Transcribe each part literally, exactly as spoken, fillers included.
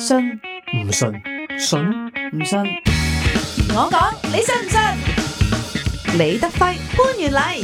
信唔信？信唔信？我講你信唔信？李德輝、潘源禮。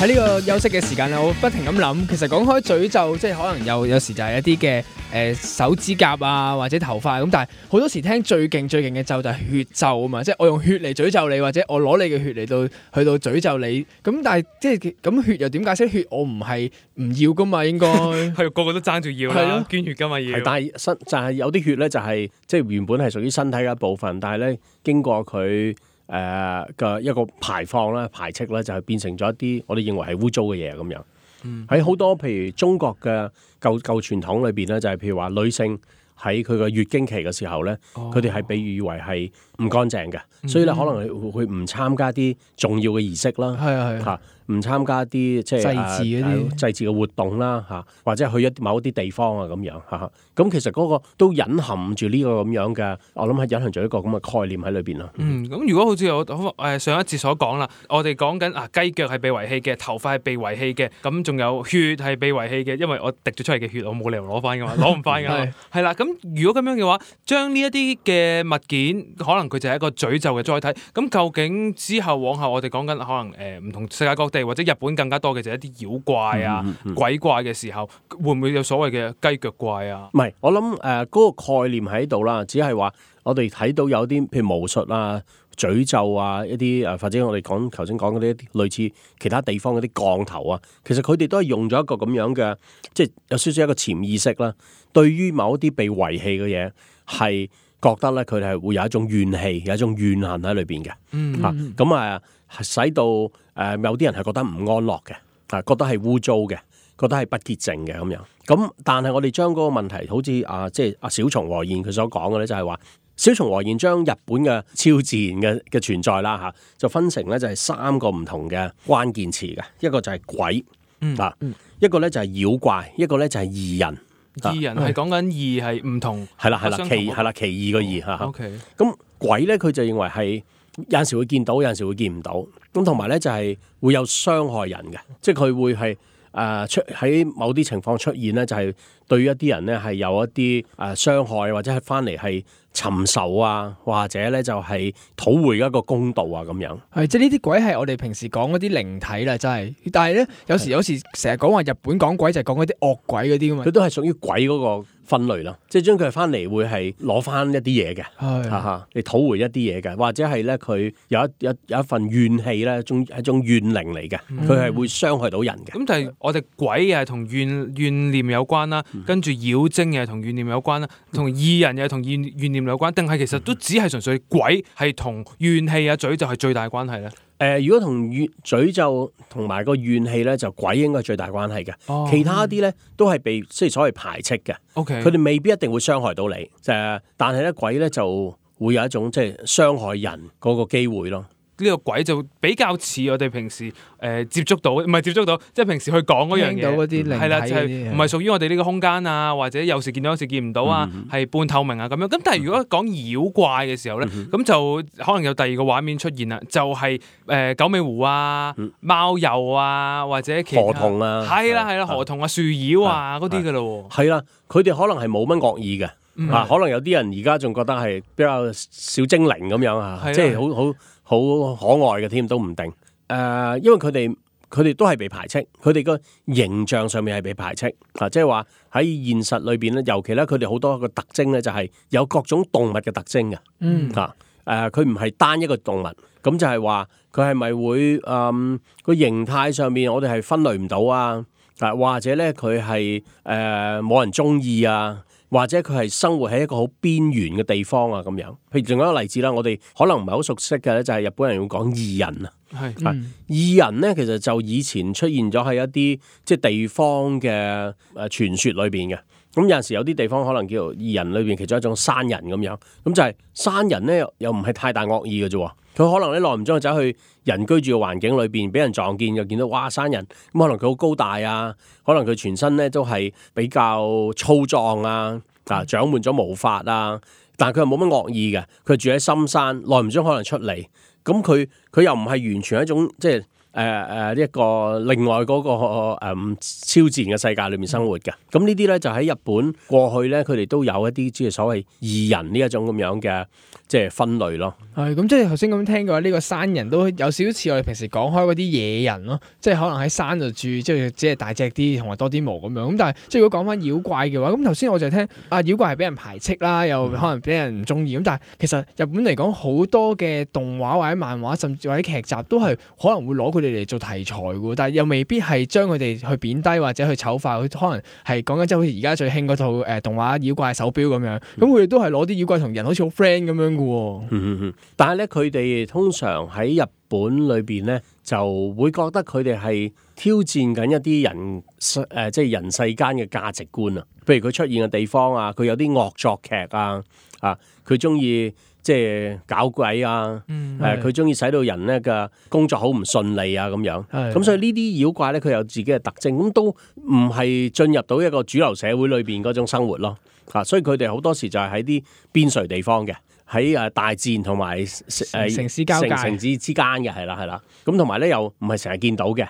喺呢個休息嘅時間咧，我不停咁諗，其實講開詛咒，即係可能有有時就係一啲嘅誒手指甲啊，或者頭髮咁，但係好多時聽最勁最勁嘅咒就係血咒啊嘛，即係我用血嚟詛咒你，或者我攞你嘅血嚟到去到詛咒你，咁但係即係咁血又點解釋？血我唔係唔要噶嘛，應該係個個都爭住要啦，捐血噶嘛要。係，但係身就係有啲血咧，就係即係原本係屬於身體嘅一部分，但係咧經過佢誒嘅一個排放啦、排斥咧，就係變成咗一啲我哋認為係污糟嘅嘢咁樣。喺好、嗯、多譬如中國嘅舊舊傳統裏邊咧，就係、是、譬如話女性喺佢嘅月經期嘅時候咧，佢哋係被譽為係唔乾淨嘅，嗯、所以咧可能會唔參加啲重要嘅儀式啦。係啊係啊。唔參加啲即係祭祀嗰啲祭祀嘅活動啦嚇，或者去一某一啲地方啊咁樣嚇。咁其實嗰個都隱含住呢個咁樣嘅，我諗係隱含住一個咁嘅概念喺裏邊咯。嗯，咁如果好似我誒上一節所講啦，我哋講緊啊雞腳係被遺棄嘅，頭髮係被遺棄嘅，咁仲有血係被遺棄嘅，因為我滴咗出嚟嘅血我冇理由攞翻噶嘛，攞唔翻噶嘛。係啦，咁如果咁樣嘅話，將呢一啲嘅物件，可能佢就係一個詛咒嘅載體。咁究竟之後往後我哋講緊可能誒唔同世界各地，或者日本更加多嘅就係一啲妖怪啊、嗯嗯、鬼怪嘅時候，會唔會有所謂嘅雞腳怪啊？唔係，我諗誒嗰個概念喺度啦，只係話我哋睇到有啲譬如巫術啊、詛咒啊一啲誒，或者我哋講頭先講嗰啲類似其他地方嗰啲降頭啊，其實佢哋都係用咗一個咁樣嘅，即係有少少一個潛意識啦。對於某一啲被遺棄嘅嘢，係覺得咧佢哋係會有一種怨氣，有一種怨恨喺裏邊嘅。嗯，嚇咁啊，使到誒、呃、有啲人係覺得唔安樂嘅，啊覺得係污糟嘅，覺得係不潔淨嘅咁樣。咁但係我哋將嗰個問題，好似啊即係阿小松和彥佢所講嘅咧，就係話小松和彥將日本嘅超自然嘅嘅存在啦嚇、啊，就分成咧就係三個唔同嘅關鍵詞嘅，一個就係鬼，嗯、啊，一個咧就係妖怪，一個咧就係異人。異人係講緊異係唔同，係啦係啦，奇係啦奇異個異嚇。O K，咁鬼咧佢就認為係有陣時會見到，有陣時會見唔到。咁同埋咧就係會有傷害人嘅，即係佢會係誒、呃、出喺某啲情況出現咧，就係對於一啲人咧係有一啲誒傷害，或者係翻嚟係尋仇啊，或者咧就係討回一個公道啊咁樣。係即係呢啲鬼係我哋平時講嗰啲靈體啦，真係。但係咧有時有時成日講話日本講鬼就係講嗰啲惡鬼嗰啲噶嘛，佢都係屬於鬼嗰個分類啦，即係將佢翻嚟會係攞翻一啲嘢嘅，哈哈，你討回一啲嘢嘅，或者係咧佢有一有有一份怨氣咧，一種一種怨靈嚟嘅，佢係、嗯、會傷害到人嘅。咁但係我哋鬼又係同怨怨念有關啦，嗯、跟住妖精又係同怨念有關啦，同異人又係同怨怨念有關，定係其實都只係純粹鬼係同怨氣啊詛咒係最大關係咧？誒、呃，如果同怨詛咒同埋個怨氣咧，就鬼應該係最大關係嘅。哦、其他啲咧都係被即係所謂排斥嘅。OK，佢哋未必一定會傷害到你。誒，但係咧鬼咧就會有一種即係傷害人嗰個機會咯。呢個鬼就比較似我哋平時誒、呃、接觸到，唔係接觸到，即係平時去講嗰樣嘢，到嗰啲靈體，係啦，就係唔係屬於我哋呢個空間啊，或者有時見到有時見唔到啊，係、嗯、半透明啊咁樣。咁但係如果講妖怪嘅時候咧，咁、嗯、就可能有第二個畫面出現啦，就係、是、誒、呃、九尾狐啊、嗯、貓鼬啊，或者其他河童啊，係啦係啦，河童啊、樹妖啊嗰啲噶咯喎。係啦，佢哋可能係冇乜惡意嘅，嗯、啊，可能有啲人而家仲覺得係比較小精靈咁樣啊，即係好好。好可愛嘅添都唔定，誒、呃，因為佢哋佢哋都係被排斥，佢哋個形象上面係被排斥，啊，即係話喺現實裏邊咧，尤其咧佢哋好多個特徵咧就係有各種動物嘅特徵嘅，嗯，嚇、呃，誒，佢唔係單一個動物，咁就係話佢係咪會誒個、呃、形態上面我哋係分類唔到啊，啊，或者咧佢係誒冇人中意啊。或者佢係生活喺一個好邊緣嘅地方啊，咁樣。譬如仲有一個例子啦，我哋可能唔係好熟悉嘅咧，就係日本人會講異人啊。係，嗯、異人咧其實就以前出現咗喺一啲即係地方嘅誒傳說裏邊嘅。咁有陣時有啲地方可能叫做異人裏邊其中一種山人咁樣。咁就係山人咧又唔係太大惡意嘅啫。佢可能咧耐唔中走去人居住嘅環境裏邊，俾人撞見又見到哇山人，咁可能佢好高大啊，可能佢全身咧都係比較粗壯啊，啊長滿咗毛髮啊，但係佢又冇乜惡意嘅，佢住喺深山，耐唔中可能出嚟，咁佢佢又唔係完全一種即係誒誒一個另外嗰、那個誒、呃、超自然嘅世界裏面生活嘅。咁呢啲咧就喺日本過去咧，佢哋都有一啲即係所謂異人呢一種咁樣嘅即係分類咯。係咁，即係頭先咁聽嘅話，呢、這個山人都有少少似我哋平時講開嗰啲野人咯，即係可能喺山度住，即係只係大隻啲同埋多啲毛咁樣。咁但係即係如果講翻妖怪嘅話，咁頭先我就聽啊妖怪係俾人排斥啦，又可能俾人唔中意。咁但係其實日本嚟講好多嘅動畫或者漫畫，甚至或者劇集都係可能會攞佢哋嚟做題材嘅，但係又未必係將佢哋去貶低或者去醜化。佢可能係講緊即係好似而家最興嗰套誒動畫妖怪手錶咁樣，咁佢哋都係攞啲妖怪同人好似好 friend 咁樣嘅。嗯嗯嗯，但係咧佢哋通常喺日本裏邊咧就會覺得佢哋係挑戰緊一啲人誒、呃、即係人世間嘅價值觀啊。譬如佢出現嘅地方啊，佢有啲惡作劇啊，啊佢中意即係搞鬼啊，誒佢中意使到人咧嘅工作好唔順利啊咁樣。咁所以呢啲妖怪咧佢有自己嘅特徵，咁都唔係進入到一個主流社會裏邊嗰種生活咯。啊，所以佢哋好多時就係喺啲邊陲地方嘅。喺誒大自然同埋誒城市交界、城市之間嘅係啦係啦，咁同埋咧又唔係成日見到嘅，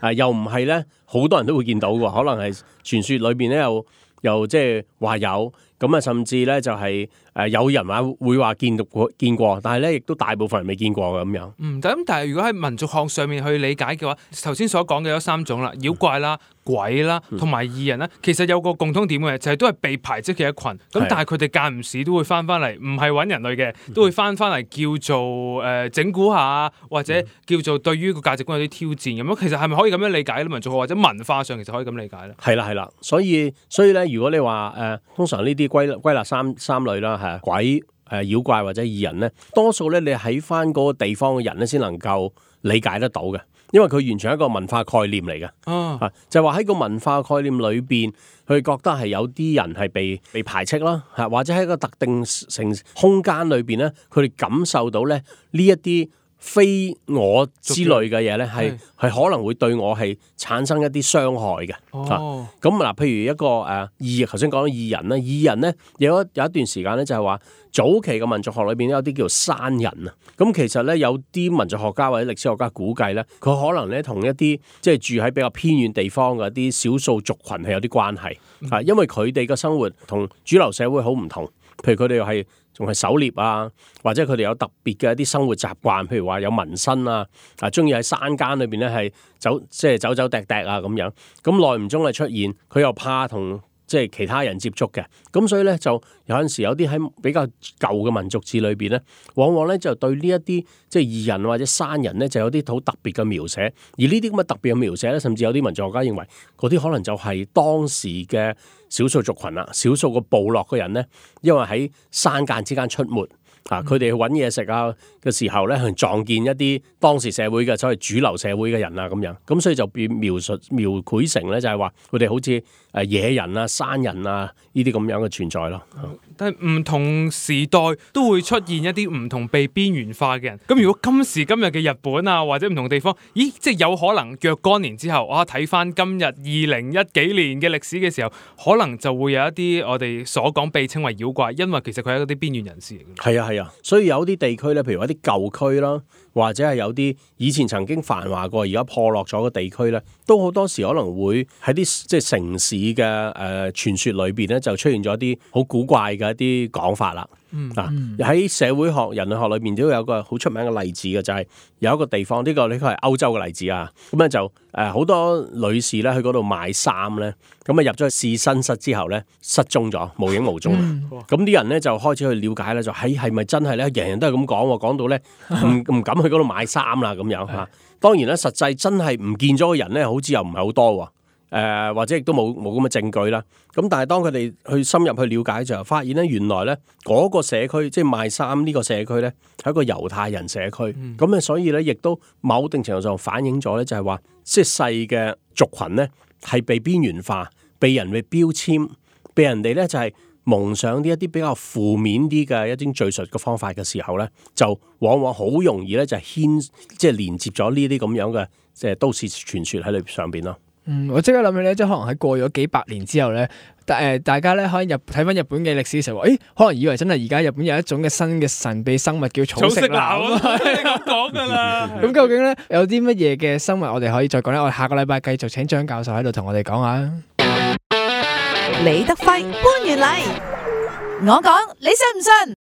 啊又唔係咧好多人都會見到嘅，可能係傳說裏邊咧又又即係話有，咁啊甚至咧就係、是、誒有人話會話見到過見過，但係咧亦都大部分人未見過嘅咁樣。嗯，咁但係如果喺民族學上面去理解嘅話，頭先所講嘅有三種啦，妖怪啦。鬼啦，同埋異人啦，其實有個共通點嘅，就係、是、都係被排斥嘅一群。咁但係佢哋間唔時都會翻翻嚟，唔係揾人類嘅，都會翻翻嚟叫做誒、呃、整蠱下，或者叫做對於個價值觀有啲挑戰咁樣。其實係咪可以咁樣理解咧？民族學或者文化上其實可以咁理解咧？係啦係啦，所以所以咧，如果你話誒、呃，通常呢啲歸歸納三三類啦，係鬼、誒、呃、妖怪或者異人咧，多數咧你喺翻嗰個地方嘅人咧，先能夠理解得到嘅。因為佢完全係一個文化概念嚟嘅，啊，就係話喺個文化概念裏邊，佢覺得係有啲人係被被排斥啦，嚇，或者喺一個特定成空間裏邊咧，佢哋感受到咧呢一啲非我之類嘅嘢咧，係係可能會對我係產生一啲傷害嘅。哦，咁嗱，譬如一個誒異，頭先講到異人啦，異人咧有一有一段時間咧就係話。早期嘅民族學裏邊有啲叫做山人啊，咁其實咧有啲民族學家或者歷史學家估計咧，佢可能咧同一啲即係住喺比較偏遠地方嘅一啲少數族群係有啲關係啊，因為佢哋嘅生活同主流社會好唔同，譬如佢哋又係仲係狩獵啊，或者佢哋有特別嘅一啲生活習慣，譬如話有紋身啊，啊中意喺山間裏邊咧係走即係走走趯趯啊咁樣，咁耐唔中係出現，佢又怕同即係其他人接觸嘅，咁所以咧就有陣時有啲喺比較舊嘅民族誌裏邊咧，往往咧就對呢一啲即係異人或者山人咧就有啲好特別嘅描寫，而呢啲咁嘅特別嘅描寫咧，甚至有啲民族學家認為嗰啲可能就係當時嘅少數族群啦，少數個部落嘅人咧，因為喺山間之間出沒。啊！佢哋去揾嘢食啊嘅時候咧，去撞見一啲當時社會嘅所謂主流社會嘅人啊咁樣，咁所以就變描述描繪成咧就係話佢哋好似誒野人啊、山人啊呢啲咁樣嘅存在咯。嗯、但係唔同時代都會出現一啲唔同被邊緣化嘅人。咁如果今時今日嘅日本啊或者唔同地方，咦，即係有可能若干年之後，我睇翻今日二零一幾年嘅歷史嘅時候，可能就會有一啲我哋所講被稱為妖怪，因為其實佢係一啲邊緣人士嚟嘅。係啊。係啊，所以有啲地區咧，譬如一啲舊區啦，或者係有啲以前曾經繁華過，而家破落咗嘅地區咧，都好多時可能會喺啲即係城市嘅誒傳說裏邊咧，就出現咗啲好古怪嘅一啲講法啦。嗯，嗱、啊、喺社會學、人類學裏邊都有個好出名嘅例子嘅，就係、是、有一個地方，呢、這個呢個係歐洲嘅例子啊。咁咧就誒好、呃、多女士咧去嗰度買衫咧，咁啊入咗去試身室之後咧失蹤咗，無影無蹤。咁啲、嗯、人咧就開始去了解咧，就喺係咪真係咧？人人都係咁講，講到咧唔唔敢去嗰度買衫啦咁樣嚇。當然咧，實際真係唔見咗嘅人咧，好似又唔係好多喎。誒、呃、或者亦都冇冇咁嘅證據啦。咁但係當佢哋去深入去了解就發現咧，原來咧嗰個社區即係賣衫呢個社區咧係一個猶太人社區。咁啊、嗯，所以咧亦都某定程度上反映咗咧，就係話即係細嘅族群咧係被邊緣化，被人哋標籤，被人哋咧就係蒙上啲一啲比較負面啲嘅一啲敘述嘅方法嘅時候咧，就往往好容易咧就牽即係連接咗呢啲咁樣嘅即係都市傳說喺裏上邊咯。嗯，我即刻諗起咧，即係可能喺過咗幾百年之後咧，大誒大家咧可能入睇翻日本嘅歷史嘅時候，誒可能以為真係而家日本有一種嘅新嘅神秘生物叫草食男啊，你咁講噶啦。咁究竟咧有啲乜嘢嘅生物我哋可以再講咧？我哋下個禮拜繼續請張教授喺度同我哋講下。李德輝、潘元禮，我講你信唔信？